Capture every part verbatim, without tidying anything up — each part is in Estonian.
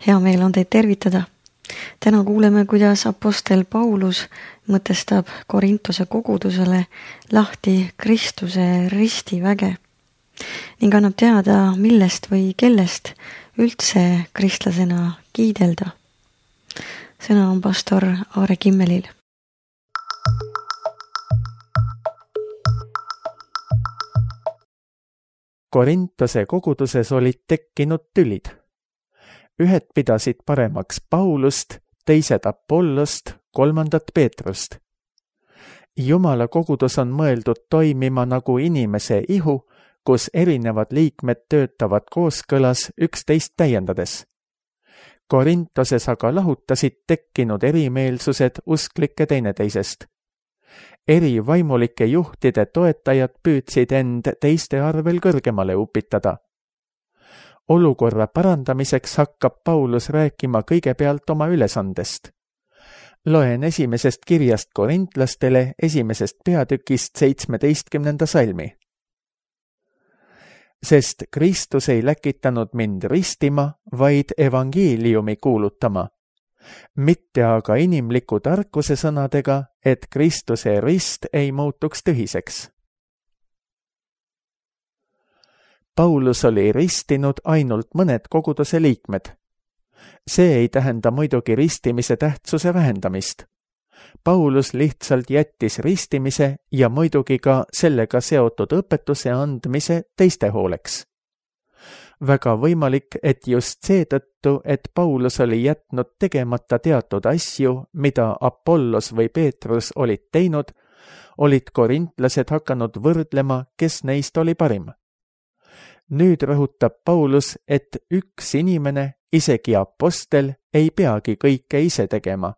Hea meel on teid tervitada. Täna kuuleme, kuidas apostel Paulus mõtestab Korintuse kogudusele lahti Kristuse ristiväge ning annab teada, millest või kellest üldse kristlasena kiidelda. Sõna on pastor Aare Kimmelil. Korintuse koguduses olid tekkinud tülid. Ühed pidasid paremaks Paulust, teised Apollost, kolmandat Peetrust. Jumala kogudus on mõeldud toimima nagu inimese ihu, kus erinevad liikmed töötavad kooskõlas üksteist täiendades. Korintoses aga lahutasid tekkinud erimeelsused usklike teineteisest. Eri vaimulike juhtide toetajad püüdsid end teiste arvel kõrgemale upitada. Olukorra parandamiseks hakkab Paulus rääkima kõigepealt oma ülesandest. Loen esimesest kirjast korintlastele esimesest peatükist seitsmeteistkümnenda salmi. Sest Kristus ei läkitanud mind ristima, vaid evangeeliumi kuulutama. Mitte aga inimliku tarkuse sõnadega, et Kristuse rist ei muutuks tühiseks. Paulus oli ristinud ainult mõned koguduse liikmed. See ei tähenda muidugi ristimise tähtsuse vähendamist. Paulus lihtsalt jättis ristimise ja muidugi ka sellega seotud õpetuse andmise teiste hooleks. Väga võimalik, et just seetõttu, et Paulus oli jätnud tegemata teatud asju, mida Apollos või Peetrus olid teinud, olid korintlased hakanud võrdlema, kes neist oli parim. Nüüd rõhutab Paulus, et üks inimene, isegi apostel, ei peagi kõike ise tegema.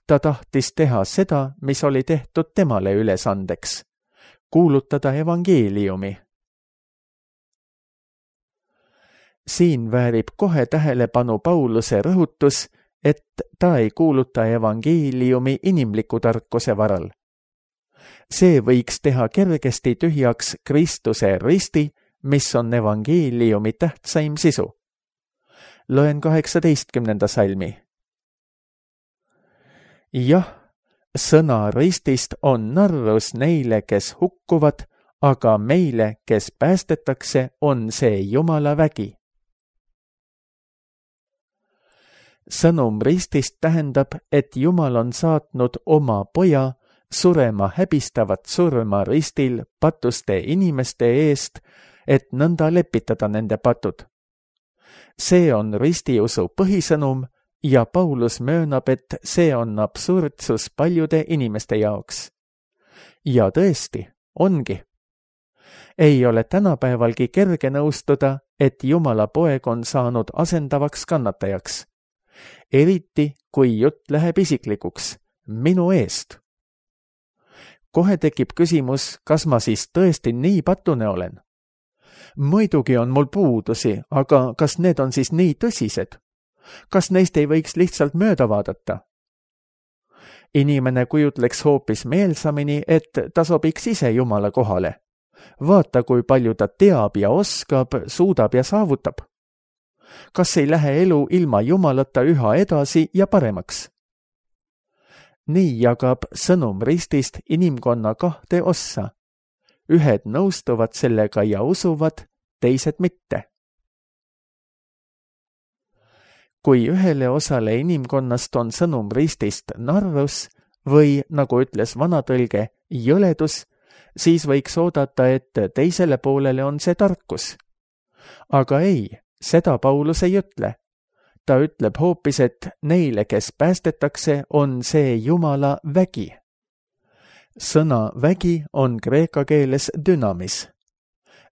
Ta tahtis teha seda, mis oli tehtud temale ülesandeks, kuulutada evangeeliumi. Siin väärib kohe tähelepanu Pauluse rõhutus, et ta ei kuuluta evangeeliumi inimliku tarkuse varal. See võiks teha kergesti tühjaks Kristuse risti, mis on evangeeliumi tähtsaim sisu. Loen kaheksateistkümnenda salmi. Jah, sõna ristist on narrus neile, kes hukkuvad, aga meile, kes päästetakse, on see Jumala vägi. Sõnum ristist tähendab, et Jumal on saatnud oma poja surema häbistavat surma ristil patuste inimeste eest, et nõnda lepitada nende patud. See on ristiusu põhisõnum ja Paulus möönab, et see on absurdsus paljude inimeste jaoks. Ja tõesti, ongi. Ei ole tänapäevalgi kerge nõustuda, et Jumala poeg on saanud asendavaks kannatajaks. Eriti, kui jutt läheb isiklikuks, minu eest. Kohe tekib küsimus, kas ma siis tõesti nii patune olen? Muidugi on mul puudusi, aga kas need on siis nii tõsised? Kas neist ei võiks lihtsalt mööda vaadata? Inimene kujutleks hoopis meelsamini, et ta sobiks ise Jumala kohale. Vaata, kui palju ta teab ja oskab, suudab ja saavutab. Kas ei lähe elu ilma Jumalata üha edasi ja paremaks? Nii jagab sõnum ristist inimkonna kahte ossa. Ühed nõustuvad sellega ja usuvad, teised mitte. Kui ühele osale inimkonnast on sõnum ristist narrus või, nagu ütles vanatõlge, jõledus, siis võiks oodata, et teisele poolele on see tarkus. Aga ei, seda Paulus ei ütle. Ta ütleb hoopis, et neile, kes päästetakse, on see Jumala vägi. Sõna vägi on kreeka keeles dünamis.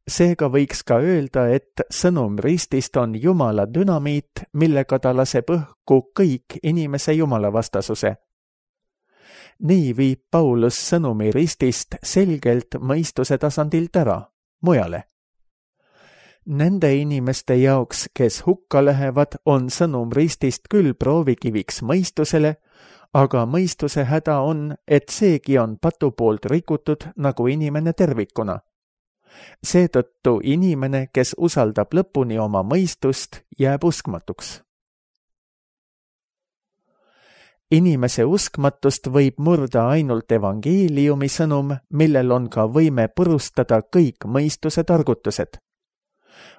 Seega võiks ka öelda, et sõnum ristist on Jumala dünamiit, millega ta laseb õhku kõik inimese Jumala vastasuse. Nii viib Paulus sõnumi ristist selgelt mõistuse tasandilt ära, mujale. Nende inimeste jaoks, kes hukka lähevad, on sõnum ristist küll proovikiviks mõistusele, aga mõistuse häda on, et seegi on patu poolt rikutud nagu inimene tervikuna. Seetõttu inimene, kes usaldab lõpuni oma mõistust, jääb uskmatuks. inimese uskmatust võib murda ainult evangeeliumi sõnum, millel on ka võime purustada kõik mõistuse targutused.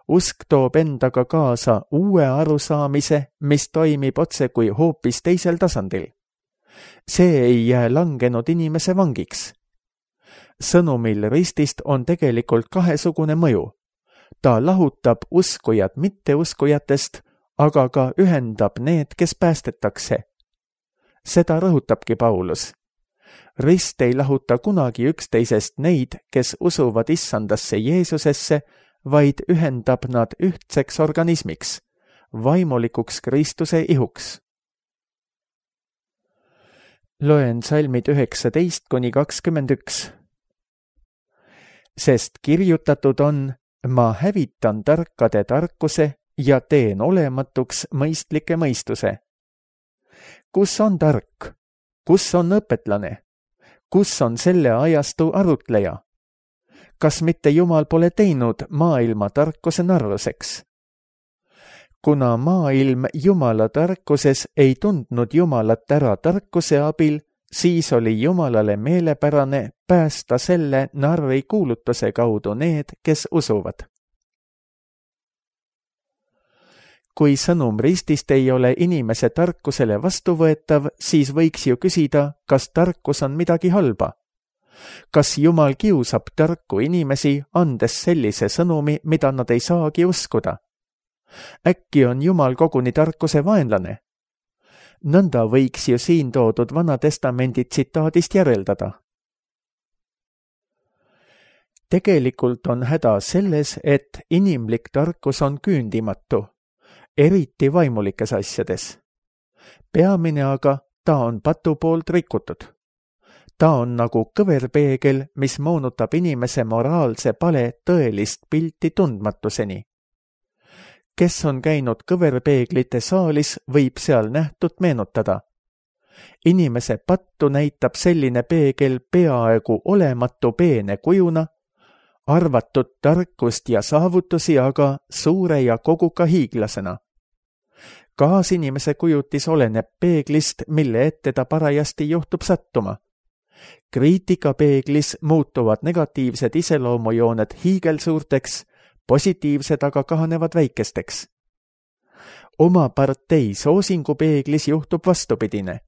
Usk toob endaga kaasa uue arusaamise, mis toimib otse kui hoopis teisel tasandil. See ei jää langenud inimese vangiks. Sõnumil ristist on tegelikult kahesugune mõju. Ta lahutab uskujad mitteuskujatest, aga ka ühendab need, kes päästetakse. Seda rõhutabki Paulus. Rist ei lahuta kunagi üksteisest neid, kes usuvad issandasse Jeesusesse, vaid ühendab nad ühtseks organismiks, vaimulikuks Kristuse ihuks. Loen salmid üheksateist kuni kakskümmend üks. Sest kirjutatud on, ma hävitan tarkade tarkuse ja teen olematuks mõistlike mõistuse. Kus on tark? Kus on õpetlane? Kus on selle ajastu arutleja? Kas mitte Jumal pole teinud maailma tarkuse narruseks? Kuna maailm Jumala tarkuses ei tundnud Jumalat ära tarkuse abil, siis oli Jumalale meelepärane päästa selle narri kuulutuse kaudu need, kes usuvad. Kui sõnum ristist ei ole inimese tarkusele vastuvõetav, siis võiks ju küsida, kas tarkus on midagi halba. Kas Jumal kiusab tarku inimesi, andes sellise sõnumi, mida nad ei saagi uskuda? Äkki on Jumal koguni tarkuse vaenlane? Nõnda võiks ju siin toodud Vana Testamendi tsitaadist järeldada. Tegelikult on häda selles, et inimlik tarkus on küündimatu, eriti vaimulikes asjades. Peamine aga ta on patu poolt rikutud. Ta on nagu kõverpeegel, mis moonutab inimese moraalse pale tõelist pilti tundmatuseni. Kes on käinud kõverpeeglite saalis, võib seal nähtut meenutada. Inimese pattu näitab selline peegel peaaegu olematu peene kujuna, arvatud tarkust ja saavutusi aga suure ja koguka hiiglasena. Kaasinimese kujutis oleneb peeglist, mille ette ta parajasti juhtub sattuma. Kriitikapeeglis muutuvad negatiivsed iseloomujooned hiigelsuurteks, positiivsed aga kahanevad väikesteks. Oma partei soosingupeeglis juhtub vastupidine.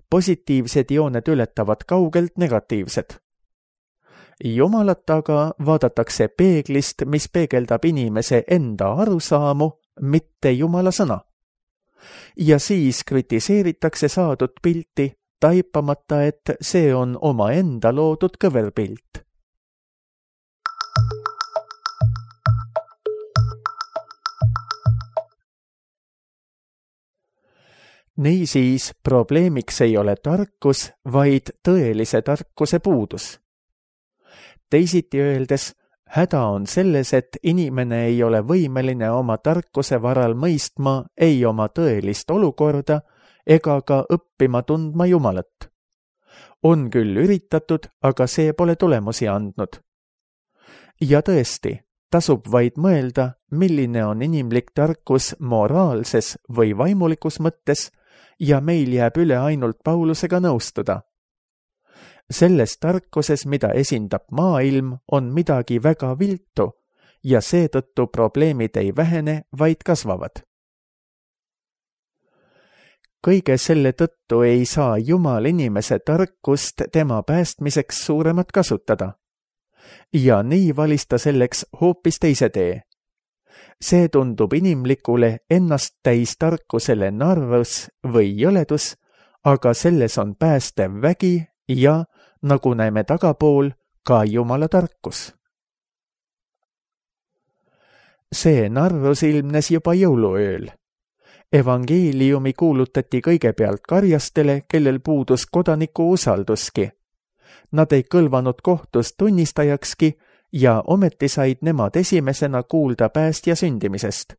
Positiivsed jooned ületavad kaugelt negatiivsed. Jumalat aga vaadatakse peeglist, mis peegeldab inimese enda arusaamu, mitte Jumala sõna. Ja siis kritiseeritakse saadud pilti, taipamata, et see on oma enda loodud kõverpilt. Niisiis, probleemiks ei ole tarkus, vaid tõelise tarkuse puudus. Teisiti öeldes, häda on selles, et inimene ei ole võimeline oma tarkuse varal mõistma ei oma tõelist olukorda ega ka õppima tundma Jumalat. On küll üritatud, aga see pole tulemusi andnud. Ja tõesti, tasub vaid mõelda, milline on inimlik tarkus moraalses või vaimulikus mõttes, ja meil jääb üle ainult Paulusega nõustuda. Selles tarkuses, mida esindab maailm, on midagi väga viltu ja seetõttu probleemid ei vähene, vaid kasvavad. Kõige selle tõttu ei saa Jumal inimese tarkust tema päästmiseks suuremat kasutada. Ja nii valis ta selleks hoopis teise tee. See tundub inimlikule ennast täis tarkusele narrus või jõledus, aga selles on päästev vägi ja, nagu näeme tagapool, ka Jumala tarkus. See narrus ilmnes juba jõuluööl. Evangeeliumi kuulutati kõigepealt karjastele, kellel puudus kodaniku usalduski. Nad ei kõlvanud kohtus tunnistajakski ja ometi said nemad esimesena kuulda päästja sündimisest.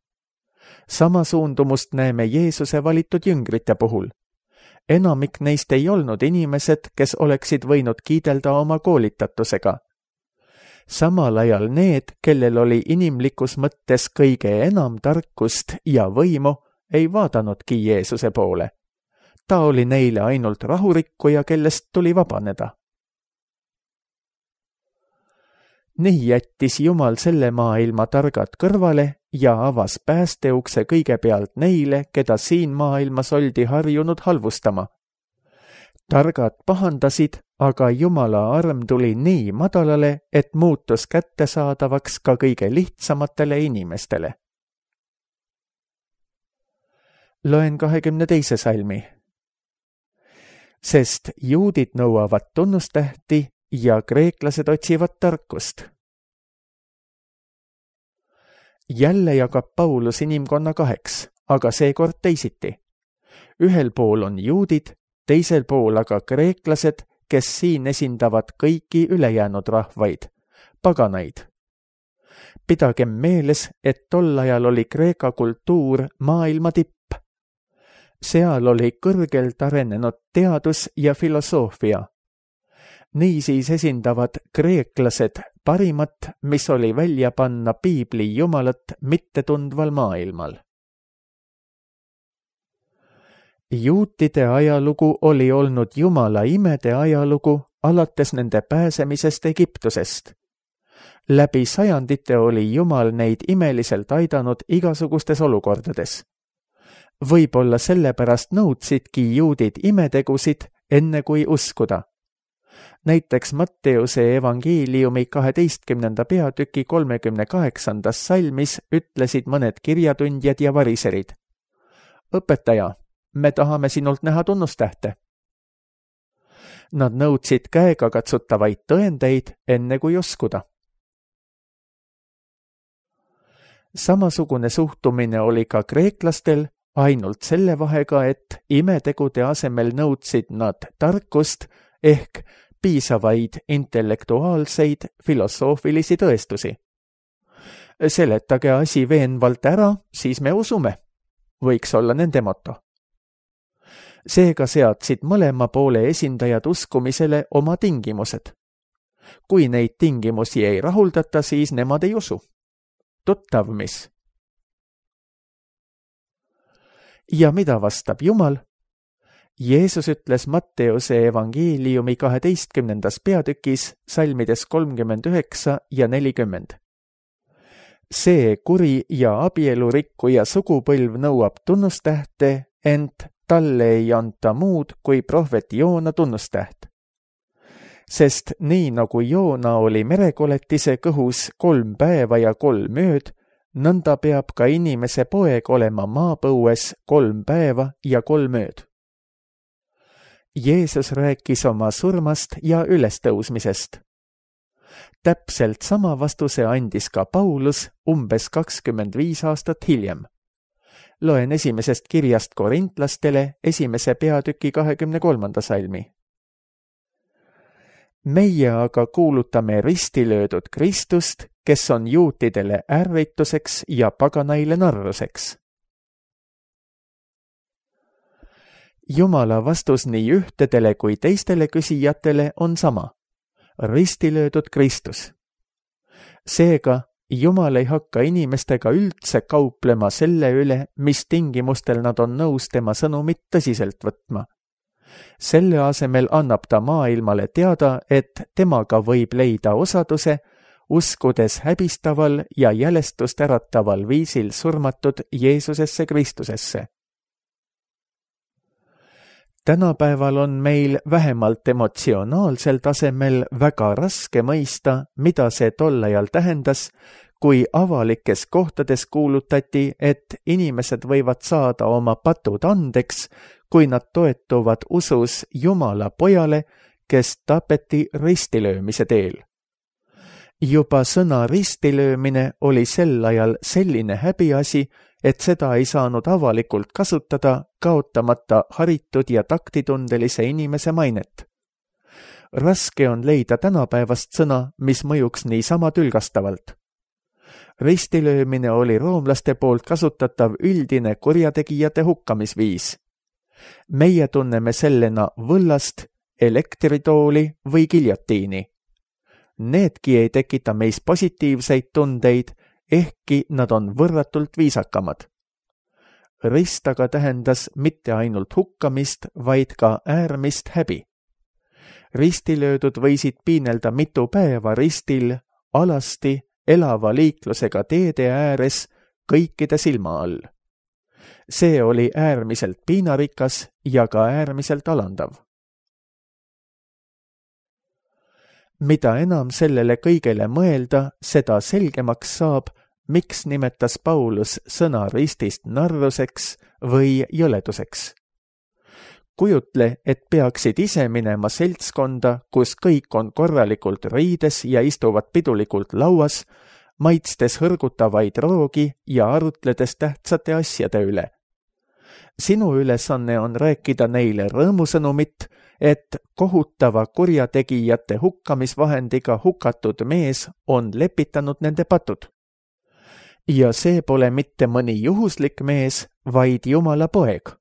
Sama suundumust näeme Jeesuse valitud jüngrite puhul. Enamik neist ei olnud inimesed, kes oleksid võinud kiidelda oma koolitatusega. Samal ajal need, kellel oli inimlikus mõttes kõige enam tarkust ja võimu, ei vaadanudki Jeesuse poole. ta oli neile ainult rahurikkuja, kellest tuli vabaneda. Nii jättis Jumal selle maailma targad kõrvale ja avas päästeukse kõigepealt neile, keda siin maailmas oldi harjunud halvustama. Targad pahandasid, aga Jumala arm tuli nii madalale, et muutus kättesaadavaks ka kõige lihtsamatele inimestele. Loen kahekümne teise salmi. Sest juudid nõuavad tunnustähti ja kreeklased otsivad tarkust. Jälle jagab Paulus inimkonna kaheks, aga seekord teisiti. Ühel pool on juudid, teisel pool aga kreeklased, kes siin esindavad kõiki ülejäänud rahvaid, paganaid. Pidagem meeles, et tol ajal oli Kreeka kultuur maailma tipp. Seal oli kõrgelt arenenud teadus ja filosoofia. Niisiis esindavad kreeklased parimat, mis oli välja panna piibli Jumalat mittetundval maailmal. Juutide ajalugu oli olnud Jumala imede ajalugu alates nende pääsemisest Egiptusest. Läbi sajandite oli Jumal neid imeliselt aidanud igasugustes olukordades. Võib-olla sellepärast nõudsidki juudid imetegusid, enne kui uskuda. Näiteks Matteuse evangeeliumi kaheteistkümnenda peatüki kolmekümne kaheksandas salmis ütlesid mõned kirjatundjad ja variserid. Õpetaja, me tahame sinult näha tunnustähte. Nad nõudsid käega katsutavaid tõendeid, enne kui uskuda. Samasugune suhtumine oli ka kreeklastel, ainult selle vahega, et imetegude asemel nõudsid nad tarkust ehk piisavaid intellektuaalseid filosoofilisi tõestusi. Seletage asi veenvalt ära, siis me usume, võiks olla nende moto. Seega seadsid mõlema poole esindajad uskumisele oma tingimused. Kui neid tingimusi ei rahuldata, siis nemad ei usu. Tuttav mis? Ja mida vastab Jumal? Jeesus ütles Matteuse evangeeliumi kaheteistkümnendas peatükis salmides kolmkümmend üheksa ja nelikümmend. See kuri ja abielurikkuja sugupõlv nõuab tunnustähte, ent talle ei anta muud kui prohvet Joona tunnustäht. Sest nii nagu Joona oli merekoletise kõhus kolm päeva ja kolm ööd, nõnda peab ka inimese poeg olema maapõues kolm päeva ja kolm ööd. Jeesus rääkis oma surmast ja ülestõusmisest. Täpselt sama vastuse andis ka Paulus umbes kakskümmend viis aastat hiljem. Loen esimesest kirjast korintlastele esimese peatüki kahekümne kolmanda salmi. Meie aga kuulutame ristilöödud Kristust, kes on juutidele ärrituseks ja paganaile narruseks. Jumala vastus nii ühtedele kui teistele küsijatele on sama. Ristilöödud Kristus. Seega, Jumal ei hakka inimestega üldse kauplema selle üle, mis tingimustel nad on nõus tema sõnumit tõsiselt võtma. Selle asemel annab ta maailmale teada, et temaga võib leida osaduse, uskudes häbistaval ja jälestust ärataval viisil surmatud Jeesusesse Kristusesse. Tänapäeval on meil vähemalt emotsionaalsel tasemel väga raske mõista, mida see tol ajal tähendas, kui avalikes kohtades kuulutati, et inimesed võivad saada oma patud andeks, kui nad toetuvad usus Jumala pojale, kes tapeti ristilöömise teel. Juba sõna ristilöömine oli sel ajal selline häbiasi, et seda ei saanud avalikult kasutada, kaotamata haritud ja taktitundelise inimese mainet. Raske on leida tänapäevast sõna, mis mõjuks niisama tülgastavalt. Ristilöömine oli roomlaste poolt kasutatav üldine kurjategijate hukkamisviis. Meie tunneme sellena võllast, elektritooli või giljotiini. Needki ei tekita meis positiivseid tundeid, ehkki nad on võrratult viisakamad. rist aga tähendas mitte ainult hukkamist, vaid ka äärmist häbi. Ristilöödud võisid piinelda mitu päeva ristil, alasti, elava liiklusega teede ääres, kõikide silma all. See oli äärmiselt piinarikas ja ka äärmiselt alandav. Mida enam sellele kõigele mõelda, seda selgemaks saab, miks nimetas Paulus sõna ristist narruseks või jõleduseks. Kujutle, et peaksid ise minema seltskonda, kus kõik on korralikult riides ja istuvad pidulikult lauas, maitstes hõrgutavaid roogi ja arutledes tähtsate asjade üle. Sinu ülesanne on rääkida neile rõõmusõnumit, et kohutava kurjategijate hukkamisvahendiga hukatud mees on lepitanud nende patud. Ja see pole mitte mõni juhuslik mees, vaid Jumala poeg.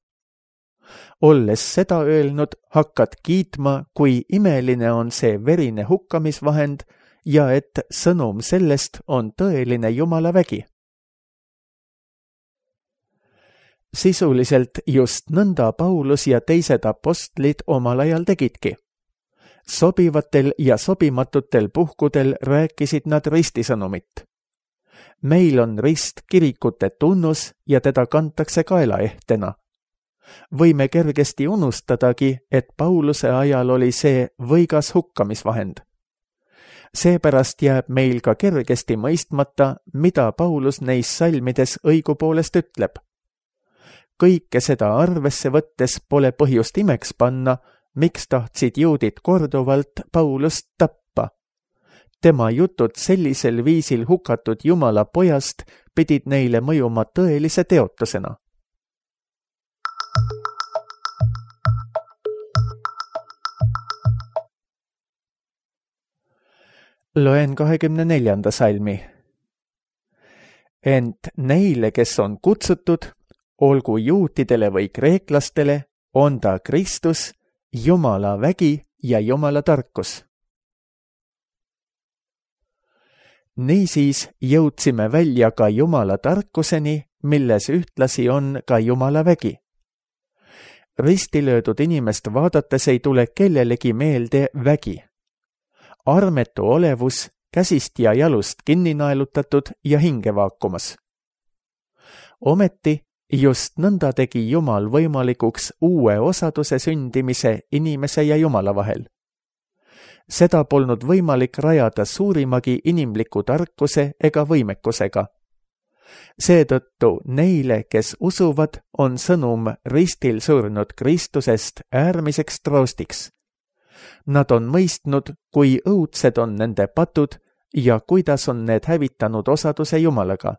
Olles seda öelnud, hakkad kiitma, kui imeline on see verine hukkamisvahend ja et sõnum sellest on tõeline Jumala vägi. Sisuliselt just nõnda Paulus ja teised apostlid omal ajal tegidki. Sobivatel ja sobimatutel puhkudel rääkisid nad ristisõnumit. Meil on rist kirikute tunnus ja teda kantakse kaelaehtena. Võime kergesti unustadagi, et Pauluse ajal oli see võigas hukkamisvahend. Seepärast jääb meil ka kergesti mõistmata, mida Paulus neis salmides õigupoolest ütleb. Kõike seda arvesse võttes pole põhjust imeks panna, miks tahtsid juudid korduvalt Paulust tappa. Tema jutud sellisel viisil hukatud Jumala pojast pidid neile mõjuma tõelise teotusena. Loen kahekümne neljanda salmi. Ent neile, kes on kutsutud, olgu juutidele või kreeklastele, on ta Kristus, Jumala vägi ja Jumala tarkus. Niisiis jõudsime välja ka Jumala tarkuseni, milles ühtlasi on ka Jumala vägi. Ristilöödud inimest vaadates ei tule kellelegi meelde vägi. Armetu olevus, käsist ja jalust kinni naelutatud ja hinge vaakumas. Ometi just nõnda tegi Jumal võimalikuks uue osaduse sündimise inimese ja Jumala vahel. Seda polnud võimalik rajada suurimagi inimliku tarkuse ega võimekusega. Seetõttu neile, kes usuvad, on sõnum ristil surnud Kristusest äärmiseks troostiks. Nad on mõistnud, kui õudsed on nende patud ja kuidas on need hävitanud osaduse Jumalaga.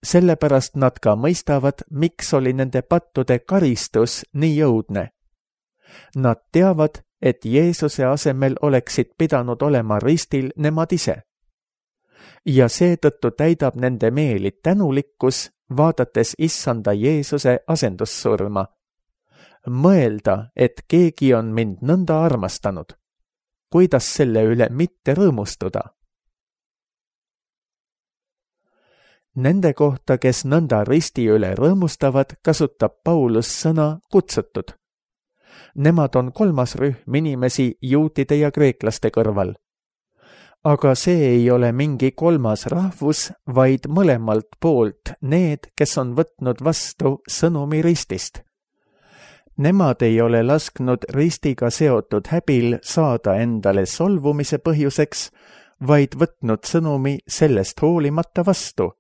Sellepärast nad ka mõistavad, miks oli nende pattude karistus nii õudne. Nad teavad, et Jeesuse asemel oleksid pidanud olema ristil nemad ise. Ja seetõttu täidab nende meeli tänulikkus, vaadates issanda Jeesuse asendussurma. Mõelda, et keegi on mind nõnda armastanud. Kuidas selle üle mitte rõõmustuda? Nende kohta, kes nõnda risti üle rõõmustavad, kasutab Paulus sõna kutsutud. Nemad on kolmas rühm inimesi juutide ja kreeklaste kõrval. Aga see ei ole mingi kolmas rahvus, vaid mõlemalt poolt need, kes on võtnud vastu sõnumi ristist. Nemad ei ole lasknud ristiga seotud häbil saada endale solvumise põhjuseks, vaid võtnud sõnumi sellest hoolimata vastu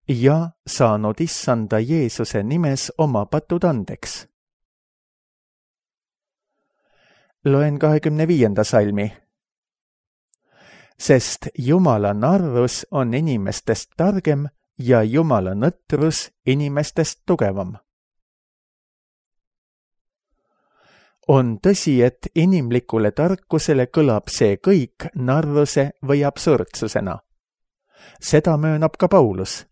ja saanud issanda Jeesuse nimes oma patud andeks. Loen kahekümne viienda salmi. Sest Jumala narrus on inimestest targem ja Jumala nõtrus inimestest tugevam. On tõsi, et inimlikule tarkusele kõlab see kõik narruse või absurdsusena. Seda möönab ka Paulus.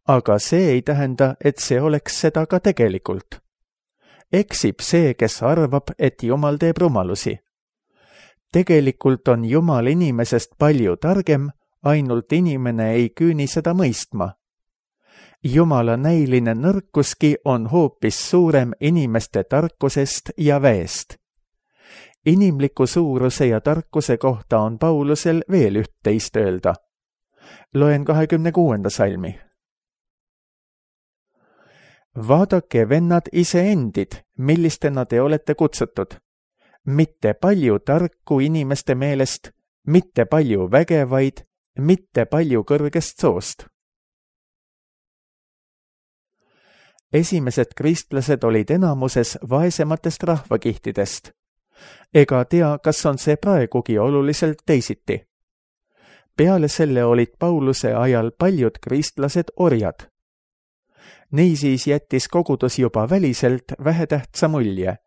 Aga see ei tähenda, et see oleks seda ka tegelikult. Eksib see, kes arvab, et Jumal teeb rumalusi. Tegelikult on Jumal inimesest palju targem, ainult inimene ei küüni seda mõistma. Jumala näiline nõrkuski on hoopis suurem inimeste tarkusest ja väest. Inimliku suuruse ja tarkuse kohta on Paulusel veel üht-teist öelda. Loen kahekümne kuuenda salmi. Vaadake, vennad, iseendid, millistena te olete kutsutud. Mitte palju tarku inimeste meelest, mitte palju vägevaid, mitte palju kõrgest soost. Esimesed kristlased olid enamuses vaesematest rahvakihtidest. Ega tea, kas on see praegugi oluliselt teisiti. Peale selle olid Pauluse ajal paljud kristlased orjad. Niisiis jättis kogudus juba väliselt vähetähtsa mulje.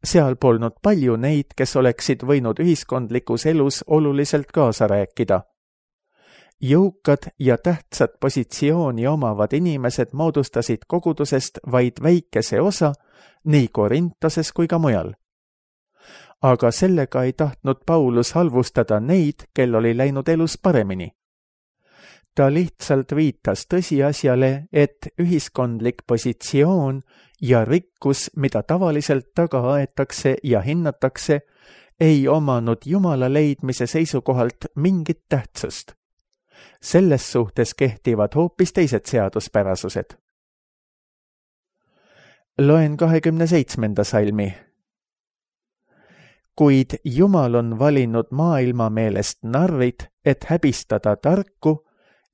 Seal polnud palju neid, kes oleksid võinud ühiskondlikus elus oluliselt kaasa rääkida. Jõukad ja tähtsat positsiooni omavad inimesed moodustasid kogudusest vaid väikese osa nii Korintoses kui ka mujal. Aga sellega ei tahtnud Paulus halvustada neid, kel oli läinud elus paremini. Ta lihtsalt viitas tõsiasjale, et ühiskondlik positsioon ja rikkus, mida tavaliselt taga aetakse ja hinnatakse, ei omanud Jumala leidmise seisukohalt mingit tähtsust. Selles suhtes kehtivad hoopis teised seaduspärasused. Loen kahekümne seitsmenda salmi. Kuid Jumal on valinud maailma meelest narrid, et häbistada tarku,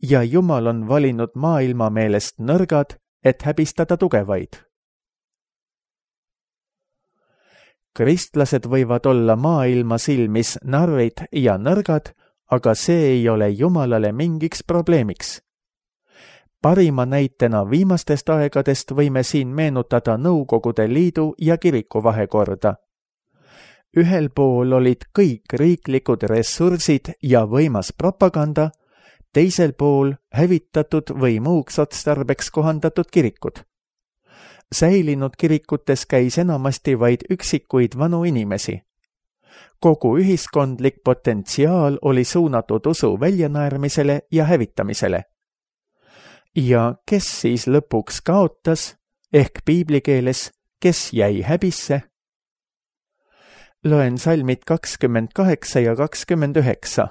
ja Jumal on valinud maailma meelest nõrgad, et häbistada tugevaid. Kristlased võivad olla maailma silmis narrid ja nõrgad, aga see ei ole Jumalale mingiks probleemiks. Parima näitena viimastest aegadest võime siin meenutada Nõukogude Liidu ja kiriku vahekorda. Ühel pool olid kõik riiklikud ressursid ja võimas propaganda, teisel pool hävitatud või muuks otstarbeks kohandatud kirikud. Säilinud kirikutes käis enamasti vaid üksikuid vanu inimesi. Kogu ühiskondlik potentsiaal oli suunatud usu väljanäärmisele ja hävitamisele. Ja kes siis lõpuks kaotas, ehk piiblikeeles, kes jäi häbisse? Loen salmid kakskümmend kaheksa ja kakskümmend üheksa.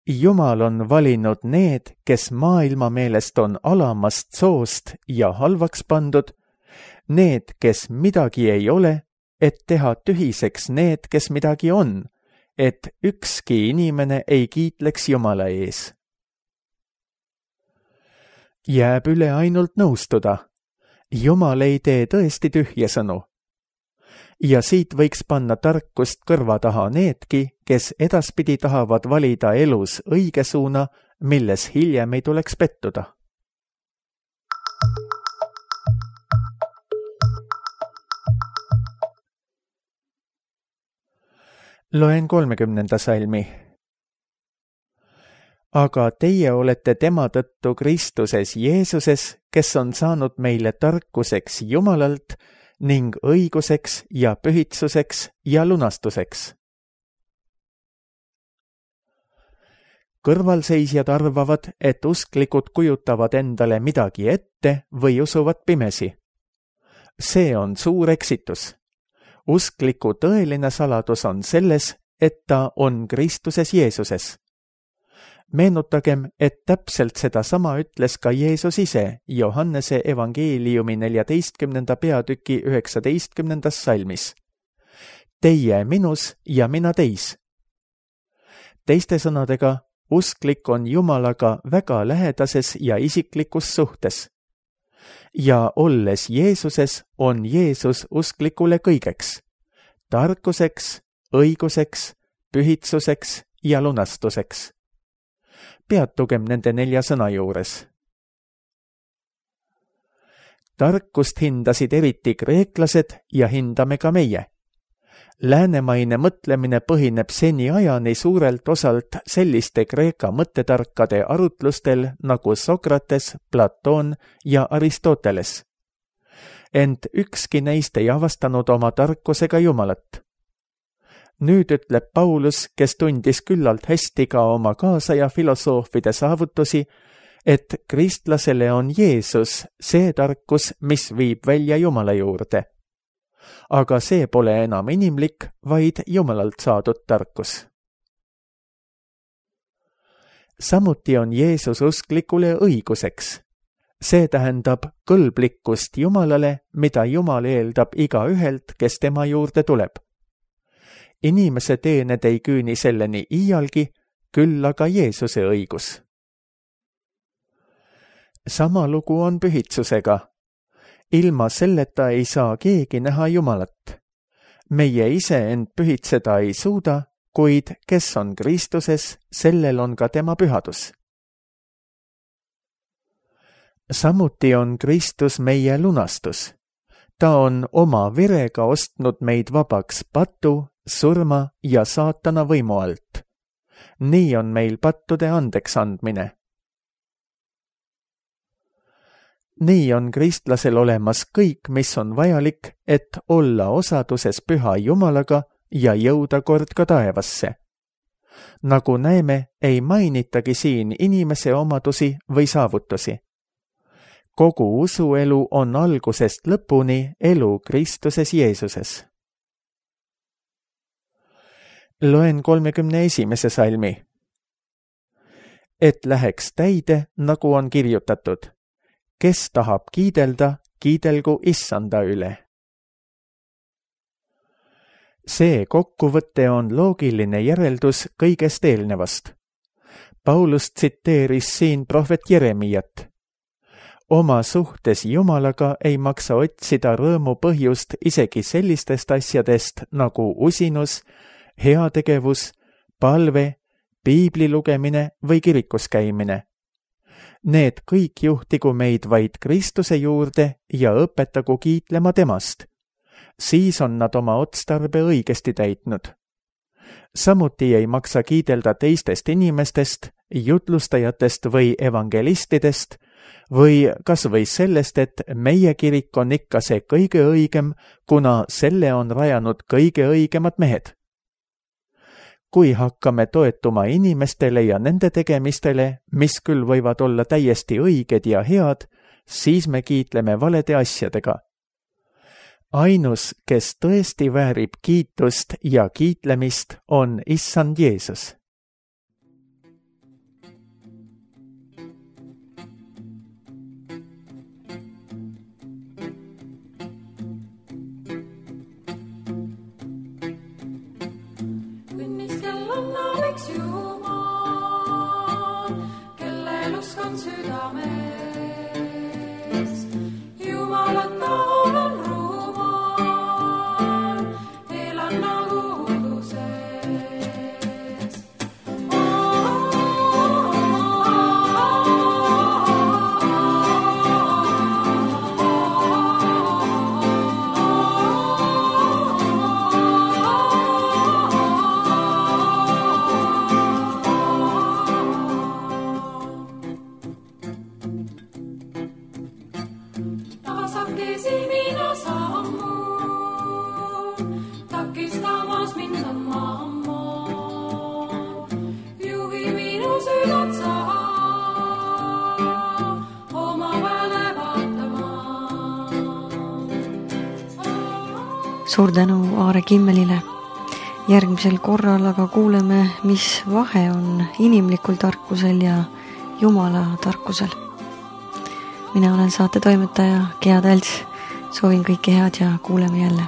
Jumal on valinud need, kes maailma meelest on alamast soost ja halvaks pandud, need, kes midagi ei ole, et teha tühiseks need, kes midagi on, et ükski inimene ei kiitleks Jumala ees. Jääb üle ainult nõustuda. Jumal ei tee tõesti tühje sõnu. Ja siit võiks panna tarkust kõrva taha needki, kes edaspidi tahavad valida elus õige suuna, milles hiljem ei tuleks pettuda. Loen kolmekümnenda salmi. Aga teie olete tema tõttu Kristuses Jeesuses, kes on saanud meile tarkuseks Jumalalt ning õiguseks ja pühitsuseks ja lunastuseks. Kõrvalseisjad arvavad, et usklikud kujutavad endale midagi ette või usuvad pimesi. See on suur eksitus. Uskliku tõeline saladus on selles, et ta on Kristuses Jeesuses. Meenutagem, et täpselt seda sama ütles ka Jeesus ise Johannese evangeeliumi neljateistkümnenda peatüki üheksateistkümnendas salmis. Teie minus ja mina teis. Teiste sõnadega, usklik on Jumalaga väga lähedases ja isiklikus suhtes. Ja olles Jeesuses, on Jeesus usklikule kõigeks, tarkuseks, õiguseks, pühitsuseks ja lunastuseks. Peatugem nende nelja sõna juures. Tarkust hindasid eriti kreeklased ja hindame ka meie. Läänemaine mõtlemine põhineb seni ajani suurelt osalt selliste Kreeka mõttetarkade arutlustel nagu Sokrates, Platon ja Aristoteles. Ent ükski neist ei avastanud oma tarkusega Jumalat. Nüüd ütleb Paulus, kes tundis küllalt hästi ka oma kaasaja filosoofide saavutusi, et kristlasele on Jeesus see tarkus, mis viib välja Jumala juurde. Aga see pole enam inimlik, vaid Jumalalt saadud tarkus. Samuti on Jeesus usklikule õiguseks. See tähendab kõlblikkust Jumalale, mida Jumal eeldab igaühelt, kes tema juurde tuleb. Inimese teened ei küüni selleni iialgi, küll aga Jeesuse õigus. Sama lugu on pühitsusega. Ilma selleta ei saa keegi näha Jumalat. Meie ise end pühitseda ei suuda, kuid kes on Kristuses, sellel on ka tema pühadus. Samuti on Kristus meie lunastus. Ta on oma verega ostnud meid vabaks patu, surma ja saatana võimu alt. Nii on meil pattude andeks andmine. Nii on kristlasel olemas kõik, mis on vajalik, et olla osaduses püha Jumalaga ja jõuda kord ka taevasse. Nagu näeme, ei mainitagi siin inimese omadusi või saavutusi. Kogu usuelu on algusest lõpuni elu Kristuses Jeesuses. Loen kolmekümne esimese salmi. Et läheks täide, nagu on kirjutatud. Kes tahab kiidelda, kiidelgu Issanda üle. See kokkuvõte on loogiline järeldus kõigest eelnevast. Paulus tsiteeris siin prohvet Jeremiat. Oma suhtes Jumalaga ei maksa otsida rõõmu põhjust isegi sellistest asjadest nagu usinus, heategevus, palve, piibli lugemine või kirikus käimine. Need kõik juhtigu meid vaid Kristuse juurde ja õpetagu kiitlema temast. Siis on nad oma otstarbe õigesti täitnud. Samuti ei maksa kiidelda teistest inimestest, jutlustajatest või evangelistidest, või kas või sellest, et meie kirik on ikka see kõige õigem, kuna selle on rajanud kõige õigemad mehed. Kui hakkame toetuma inimestele ja nende tegemistele, mis küll võivad olla täiesti õiged ja head, siis me kiitleme valede asjadega. Ainus, kes tõesti väärib kiitust ja kiitlemist, on Issand Jeesus. Suur tänu Aare Kimmelile. Järgmisel korral aga kuuleme, mis vahe on inimlikul tarkusel ja Jumala tarkusel. Mina olen saate toimetaja Gea Tälts. Soovin kõike head ja kuuleme jälle.